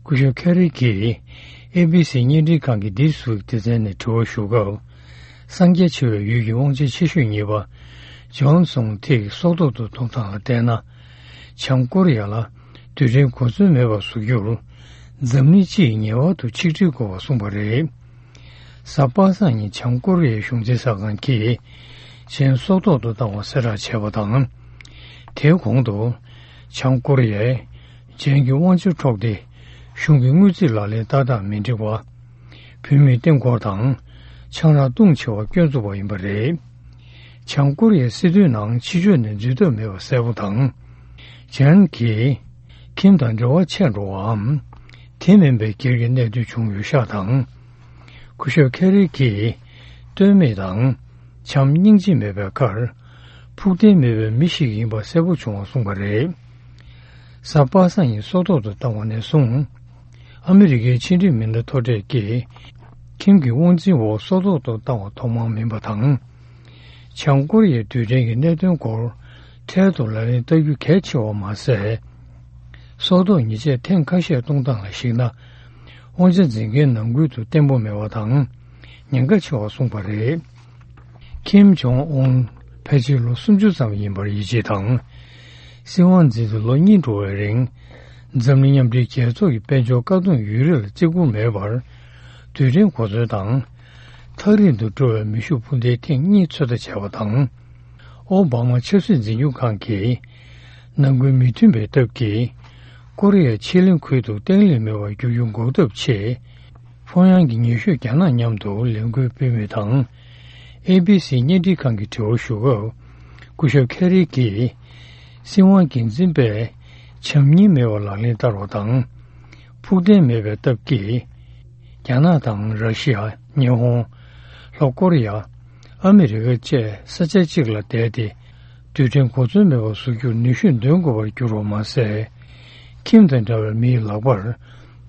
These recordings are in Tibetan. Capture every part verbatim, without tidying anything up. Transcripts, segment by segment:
སྐུ་ཞབས་ཁེ་རི་གྱིས་ཨེ་བི་སི་བརྙན་འཕྲིན་ཁང་གི་འདི་སུ་སྡེ་ཚན་ནས་དྲི་བ་ཞུ་སྐབས། གསང་རྒྱ་ཆེ་བའི་ཡུལ་གྱི་དབང་ཆེན་ཆེ་ཤོས་གཉིས་པ་ཇོན་སུང་ཐིག་སྲོག་ཐོག་ཏུ་གཏོང་སྟངས་ལ་བལྟས་ན། བྱང་ཀོ་རི་ཡ་ལ་རྡུལ་ཕྲན་གོ་མཚོན་མེད་པར་བཟོ་རྒྱུར། འཛམ་གླིང་སྤྱི་ཡིས་ངེས་པར་དུ་ཆིག་སྒྲིལ་དགོས་པར་གསུངས་པ་རེད། གཟའ་པ་སངས་ཉིན་བྱང་ཀོ་རི་ཡའི་གཞུང་འཛིན་གསར་ཁང་གིས་ཇན་སྲོག་ཐོག་ཏུ་བཏང་བ་གསལ་བསྒྲགས་བྱས་པ་དང་། དེའི་གོང་དུ། བྱང་ཀོ་རི་ཡས་ཇན་གྱི་དབང་ཆ་འཕྲོག་སྟེ། གཞུང་གི་དངུལ་རྩིས་ལག་ལེན་ཏག་ཏག་མི་འགྲིག་པ། བུད་མེད་ལྟེང་སྐོར་དང་། ཆང་རག་བཏུང་ཆེ་བ་སྐྱོན་བཙུགས་པ་ཡིན་པ་རེད། བྱང་ཀོ་རི་ཡའི་སྲིད་དོན་ནང་ཕྱི་ཕྱོགས་ནས་འཛུལ་ཐབས་མེད་པ་གསལ་པོ་དང་། ཇན་གྱིས་ཁིམ་དང་འབྲེལ་བ་ཆད་འགྲོ་བའམ། དེ་མིན་པའི་སྒེར་གྱི་གནད་དོན་བྱུང་ཡོད་ཤག་དང་། སྐུ་ཞབས་ཁེ་རི་གྱིས་ལྟོས་མེད་དང་། བྱམས་སྙིང་རྗེ་མེད་པའི་ཁར། ཕུགས་བརྟན་མེད་པའི་མི་ཞིག་ཡིན་པ་གསལ་པོ་བྱུང་བ་གསུངས་པ་རེད། གཟའ་པ་སངས་ཉིན་སྲོག་ཐོག་ཏུ་བཏང་བ་ནས་བཟུང་། ཨ་མི་རི་ཀའི་ཕྱི་འབྲེལ་མི་སྣ་མཐོ་གྲས་ཀྱིས་ཁིམ་གྱི་དབང་འཛིན་འོག་སྲོག་ཐོག་ཏུ་བཏང་བ་ཐོག་མ་མིན་པ་དང་། བྱང་ཀོ་རི་ཡའི་རྡུལ་ཕྲན་གྱི་གནད་དོན་སྐོར་འཕྲལ་དུ་ལག་ལེན་བསྟར་རྒྱུ་གལ་ཆེ་བ་མ་ཟད། སྲོག་ཐོག་ཉེས་ཆད་ཐེངས་ཁ་ཤས་གཏོང་སྟངས་ལ་གཞིགས་ན། དབང་ཆ་འཛིན་མཁན་ནང་ཁུལ་དུ་བརྟན་པོ་མེད་པ་དང་། ཉེན་ཁ་ཆེ་བ་གསུངས་པ་རེད། ཁིམ་ཇོང་ཨུན་ཕལ་ཆེར་ལོ་སུམ་ཅུ་ཙམ་ཡིན་པར་ཡིད་ཆེས་དང་། སྲིད་དབང་འཛིན་ཏེ་ལོ་གཉིས་འགྲོ་བའི་རིང་། འཛམ་གླིང་མཉམ་འབྲེལ་རྒྱལ་ཚོགས་ཀྱི་དཔལ་འབྱོར་བཀག་སྡོམ་ཡུན་རིང་ལ་བརྩི་བཀུར་མེད་པར། རྡུལ་ཕྲན་གོ་མཚོན་དང་། ཐག་རིང་དུ་འགྲོ་བའི་མེ་ཤུགས་འཕུར་མདེལ་ཐེངས་གཉིས་ཚོད་ལྟ་བྱས་པ་དང་། ཨོ་བྷ་མ་ཆབ་སྲིད་འཛིན་སྐྱོང་ཁང་གིས། ནང་ཁུལ་མི་མཐུན་པའི་སྟབས་ཀྱིས། ཀོ་རི་ཡ་ཕྱེད་གླིང་ཁུལ་དུ་བརྟན་ལྷིང་མེད་པར་འགྱུར་རྒྱུ་འགོག་ཐབས་ཆེད། ཕྱོགས་ཡོངས་ཀྱི་ཉེ་ཤོས་རྒྱ་ནག་མཉམ་དུ་ལས་འགུལ་སྤེལ་མུས་དང་། ཨེ་བི་སི་བརྙན་འཕྲིན་ཁང་གིས་དྲི་བ་ཞུ་སྐབས། སྐུ་ཞབས་ཁེ་རི་གྱིས། སྲིད་དབང་འགན་འཛིན་པས་བྱམས་སྙིང་མེད་པར་ལག་ལེན་བསྟར་བ་དང་། ཕུགས་བརྟན་མེད་པའི་སྟབས་ཀྱིས། རྒྱ་ནག་དང་ར་ཤི་ཡ། ཉི་ཧོང་། ལྷོ་ཀོ་རི་ཡ། ཨ་མི་རི་ཀ་བཅས་ས་ཆ་གཅིག་ལ་བསྡད་དེ། རྡུལ་ཕྲན་གོ་མཚོན་མེད་པར་བཟོ་རྒྱུར་ནུས་ཤུགས་འདོན་དགོས་པར་གྱུར་བ་མ་ཟད། ཁིམ་དང་འདྲ་བའི་མིའི་ལག་པར་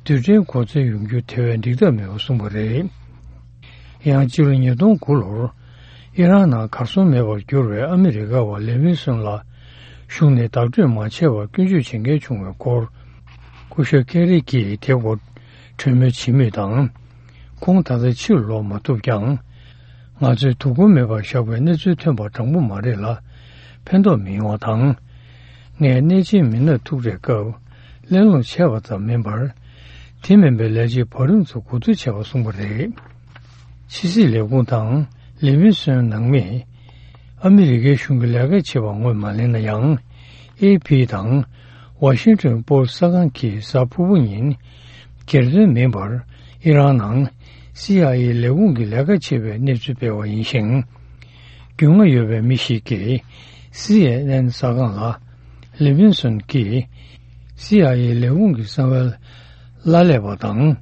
རྡུལ་ཕྲན་གོ་མཚོན་ཡོང་རྒྱུ་དེ་བས་འགྲིག་ཐབས་མེད་པར་གསུངས་པ་རེད། ཡང་སྤྱི་ལོ་ཉིས་སྟོང་དགུ་ལོར་ཨི་རན་ནང་གར་སོང་མེད་པར་གྱུར་བའི་ཨ་མི་རི་ཀ་བ་ལེ་ཝིན་སོན་ལ་གཞུང་ནས་བདག་སྤྲོད་མ་བྱས་པར་སྐྱོན་བརྗོད་བྱེད་མཁན་བྱུང་བའི་སྐོར། སྐུ་ཞབས་ཁེ་རི་གྱིས་དེ་སྐོར་གྲོས་མོལ་བྱེད་མུས་དང་། ཁོང་ད་ལྟ་ཕྱིར་ལོག་མ་ཐུབ་ཀྱང་། ང་ཚོས་དོ་ཁུར་མེད་པར་བཞག་པའི་གནས་ཚུལ་ཐོན་པ་དྲང་པོ་མ་རེད་ལ། ཕན་ཐོགས་མི་ཡོང་བ་དང་། ངས་གནས་ཆེན་མི་སྣར་ཐུག་འཕྲད་སྐབས་གླེང་སློང་བྱས་པ་ཙམ་མིན་པར། དེ་མིན་པའི་ལས་བྱེད་བར་རིམ་ཚོ་གོ་བསྡུར་བྱས་པ་གསུངས་པ་རེད། ཕྱི་སྲིད་ལས་ཁུངས་དང་ལེ་ཝིན་སོན་ནང་མིས། ཨ་མི་རི་ཀའི་གཞུང་གི་ལས་ཀ་བྱེད་པ་ངོས་མ་ལེན་ན་ཡང་། ཨེ་ཕི་དང་ཝ་ཤིང་ཊོན་པོ་སི་གསར་ཁང་གིས་གཟའ་ཕུར་བུ་ཉིན། སྒེར་དོན་མིན་པར་ཨི་རན་ནང་སི་ཨའི་ཨེ་ལས་ཁུངས་ཀྱི་ལས་ཀ་བྱེད་པའི་གནས་ཚུལ་སྤེལ་བ་ཡིན་ཞིང་། རྒྱུས་མངའ་ཡོད་པའི་མི་ཞིག་གིས་སི་ཨེན་ཨེན་གསར་ཁང་ལ། ལེ་ཝིན་སོན་གྱིས་སི་ཨའི་ཨེ་ལས་ཁུངས་ཀྱི་གསང་བའི་གླ་ལས་པ་དང་།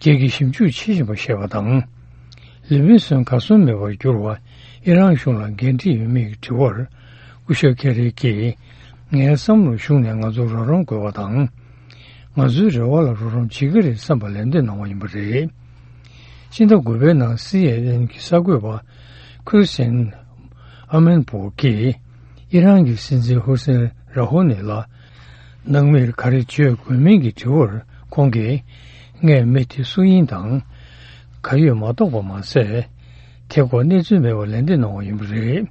སྒེར་གྱི་ཞིབ་འཇུག་བྱེད་བཞིན་པ་ཞེས་པ་དང་། ལེ་ཝིན་སོན་གར་སོང་མེད་པར་གྱུར་བ་ཨི་རན་གཞུང་ལ་འགན་འཁྲི་ཡོད་མེད་ཀྱི་དྲི་བར། སྐུ་ཞབས་ཁེ་རི་གྱིས། ངའི་བསམ་བློར་གཞུང་ནས་ང་ཚོར་རོགས་རམ་དགོས་པ་དང་། ང་ཚོའི་རེ་བ་ལ་རོགས་རམ་བྱེད་ཀྱི་རེད་བསམ་པ་ལན་འདེབས་གནང་བ་ཡིན་པ་རེད། སྤྱི་ཟླ་དགུ་པའི་ནང་སི་ཨེན་ཨེན་གྱི་གསར་འགོད་པ་ཁུར་སེན་ཨ་མན་པོ་གིས་ཨི་རན་གྱི་སྲིད་འཛིན་ཧུ་སེན་ར་ཧུ་ནི་ལ། ནང་མིར་ག་རེ་བརྗོད་དགོས་མིན་གྱི་དྲི་བར་ཁོང་གིས། ངས་མི་དེ་སུ་ཡིན་དང་། ག་ཡོད་མ་རྟོགས་པ་མ་ཟད། དེ་སྐོར་གནས་ཚུལ་མེད་པར་ལན་འདེབས་གནང་བ་ཡིན་པ་རེད།